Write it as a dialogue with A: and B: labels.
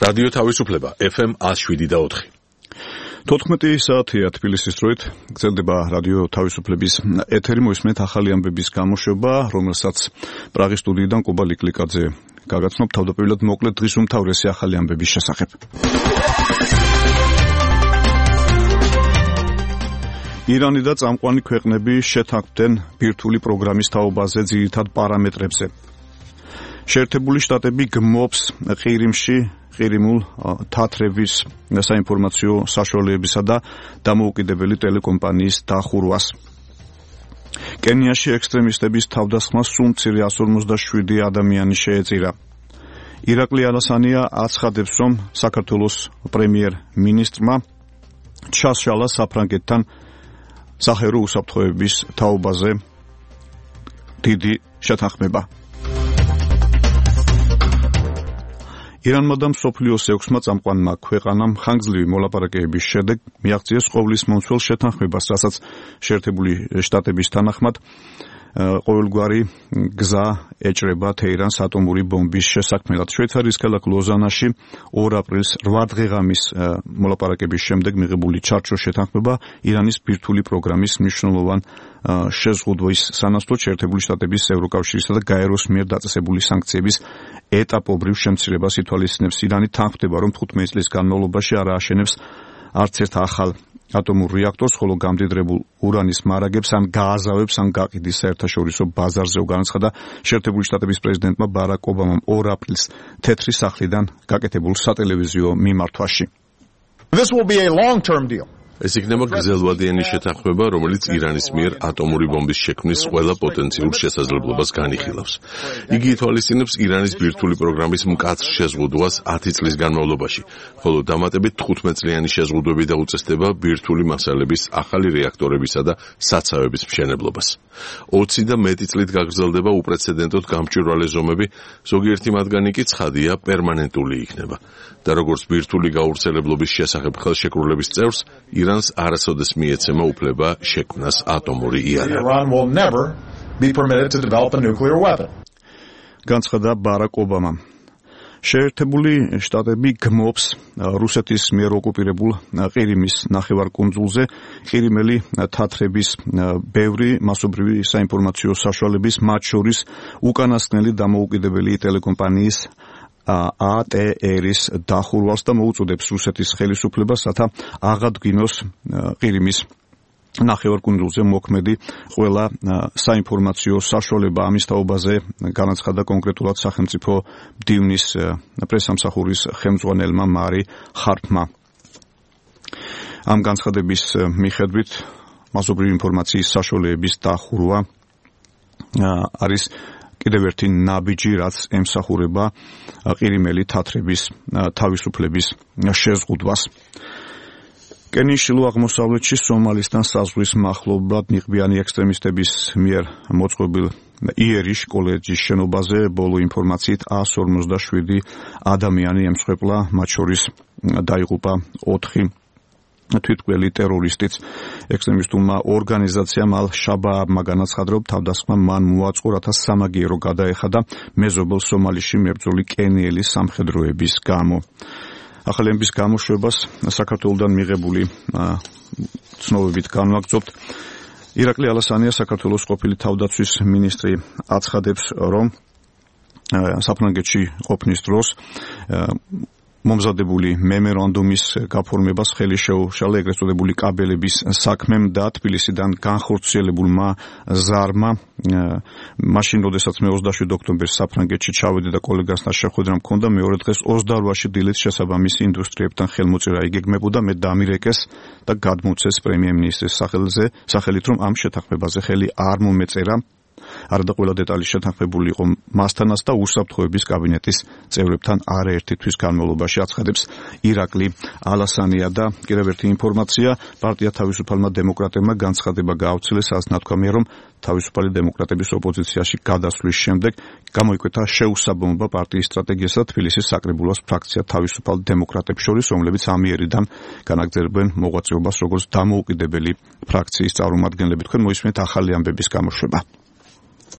A: რადიო თავისუფლება FM 107.4.
B: 14 საათია თბილისის დროით გრძელდება რადიო თავისუფლების ეთერი, მოისმენთ ახალი ამბების გამოშვება, რომელსაც პრაღის სტუდიიდან კუბა ლიკლიკაძე გაგაცნობ. თავდაპირველად მოკლედ დღის უმთავრესი ახალი ამბების შესახებ. ირანი და წამყვანი ქვეყნები შეთანხმდნენ ბირთვული პროგრამის თაობაზე ძირითად პარამეტრებზე. შეერთებული შტატები გმობს ყირიმულ თათრების საინფორმაციო საშუალებებისა და დამოუკიდებელი ტელეკომპანიის დახურვას. კენიაში ექსტრემისტების თავდასხმას სულ მცირე 157 ადამიანი შეეწირა. ირაკლი ალასანია აცხადებს, რომ საქართველოს პრემიერ-მინისტრმა ჩასშალა საფრანგეთთან სახერო უსაფრთხოების თაობაზე დიდი შეთანხმება. ირანმა და მსოფლიოს 6-მა წამყვანმა ქვეყანამ ხანგრძლივი მოლაპარაკებების შემდეგ მიაღწიეს ყოვლის მომცველ შეთანხმებას, რასაც შეერთებული შტატების თანახმად ყოველგვარი გზა ეჭრება თეირანს ატომური ბომბის შესაქმნელად. შვეიცარიის ქალაქ ლოზანაში 2 აპრილის 8 დღეღამის მოლაპარაკების შემდეგ მიღებული ჩარჩოს შეთანხმება ირანის ბირთვული პროგრამის მნიშვნელოვან შეზღუდვის სანაცვლოდ შეერთებული შტატების ევროკავშირისა და გაეროს მიერ დაწესებული სანქციების ეტაპობრივ შემცირებას ითვალისწინებს. ირანი თანხმდება, რომ 15 წლის განმავლობაში არ ააშენებს არც ერთ ახალ ატომურ რეაქტორს, ხოლო გამდიდრებულ ურანის მარაგებს ან გააზავებს ან გაყიდის საერთაშორისო ბაზარზე. განაცხადა შეერთებული შტატების პრეზიდენტმა ბარაკ ობამამ 2 აპრილს თეთრი სახლიდან გაკეთებულ სატელევიზიო მიმართვაში.
C: This will be a long-term deal.
A: ეს იქნება გრძელვადიანი შეთანხმება, რომელიც ირანის მიერ ატომური ბომბის შექმნის ყველა პოტენციურ შესაძლებლობას განიხილავს. იგი ითვალისწინებს ირანის ბირთვული პროგრამის მკაცრ შეზღუდვას 10 წლის განმავლობაში, ხოლო დამატებით 15 წლიანი შეზღუდვები დაუწესდება ბირთვული მასალების ახალი რეაქტორებისა და საცავების მშენებლობას. 20 და მეტი წლით გაგრძელდება უპრეცედენტოდ გამჭვირვალე ზომები, ზოგიერთი მათგანი კი ცხადია პერმანენტული იქნება. და როგორც ბირთვული გავრცელებლობის შესახებ ხელშეკრულების წევრს, ირანს არასოდეს მიეცემა უფლება შექმნას ატომური იარაღი.
B: განცხადა ბარაკ ობამამ. შეერთებული შტატები გმობს რუსეთის მიერ ოკუპირებულ ყირიმის ნახევარკუნძულზე ყირიმელი თათრების ბევრი მასობრივი საინფორმაციო საშუალების, მათ შორის უკანასკნელი დამოუკიდებელი ტელეკომპანიის ATR-ის დახურვას და მოუწოდებს რუსეთის ხელისუფლებას, რათა აღადგინოს ყირიმის ნახევარკუნძულზე მოქმედი ყველა საინფორმაციო საშუალება. ამის თაობაზე განაცხადა კონკრეტულად სახელმწიფო მდივნის პრესამსახურის ხელმძღვანელმა მარი ხარფმა. ამ განცხადების მიხედვით მასობრივი ინფორმაციის საშუალებების დახურვა არის კიდევ ერთი ნაბიჯი, რაც ემსახურება ყირიმელი თათრების თავისუფლების შეზღუდვას. კენიის შილო აღმოსავლეთში სომალისთან საზღვრის მახლობლად ნიღბიანი ექსტრემისტების მიერ მოწყობილ იერიშ კოლეჯის შენობაზე ბოლო ინფორმაციით 157 ადამიანი ემსხვერპლა, მათ შორის დაიღუპა 4 თვითმკვლელი ტერორისტიც. ექსტრემისტულმა ორგანიზაციამ ალ-შაბააბმა განაცხადა, რომ თავდასხმა მან მოაწყო, რათა სამაგიერო გადაეხადა მეზობელ სომალიში მებრძოლი კენიელი სამხედროების გამო. ახალი ამბის გამოშვებას საქართველოსდან მიღებული ცნობებით განვაგრძობთ. ირაკლი ალასანია, საქართველოს ყოფილი თავდაცვის მინისტრი, აცხადებს, რომ საფრანგეთში ყოფნის დროს მომზადებული მემორანდუმის გაფორმებას ხელი შეუშალა ეგრეთ წოდებული კაბელების საქმემ და თბილისიდან განხორციელებულმა ზარმა. მაშინ, როდესაც მე 27 ოქტომბერს საფრანგეთში ჩავედი და კოლეგასთან შეხვედრა მქონდა, მეორე დღეს 28-ში დილით შესაბამისი ინდუსტრიებთან ხელმოწერა იგეგმებოდა, მე დამირეკეს და გადმოცეს პრემიერ-მინისტრის სახელით, რომ ამ შეთანხმებაზე ხელი არ მომეწერა. არადა ყველა დეტალი შეთანხმებული იყო მასთანაც და უსაფრთხოების კაბინეტის წევრებთან არაერთი თვის განმავლობაში, აცხადებს ირაკლი ალასანია. და კიდევ ერთი ინფორმაცია, პარტია თავისუფალმა დემოკრატებმა განცხადება გაავრცელეს, სადაც ნათქვამია, რომ თავისუფალი დემოკრატების ოპოზიციაში გადასვლის შემდეგ გამოიკვეთა შეუსაბამობა პარტიის სტრატეგიასა და თბილისის საკრებულოს ფრაქცია თავისუფალ დემოკრატებს შორის, რომლებიც ამიერიდან განაგრძელებენ მოღვაწეობას როგორც დამოუკიდებელი ფრაქციის წარმომადგენლები. თქვენ მოისმენთ ახალი ამბების გამოშვება.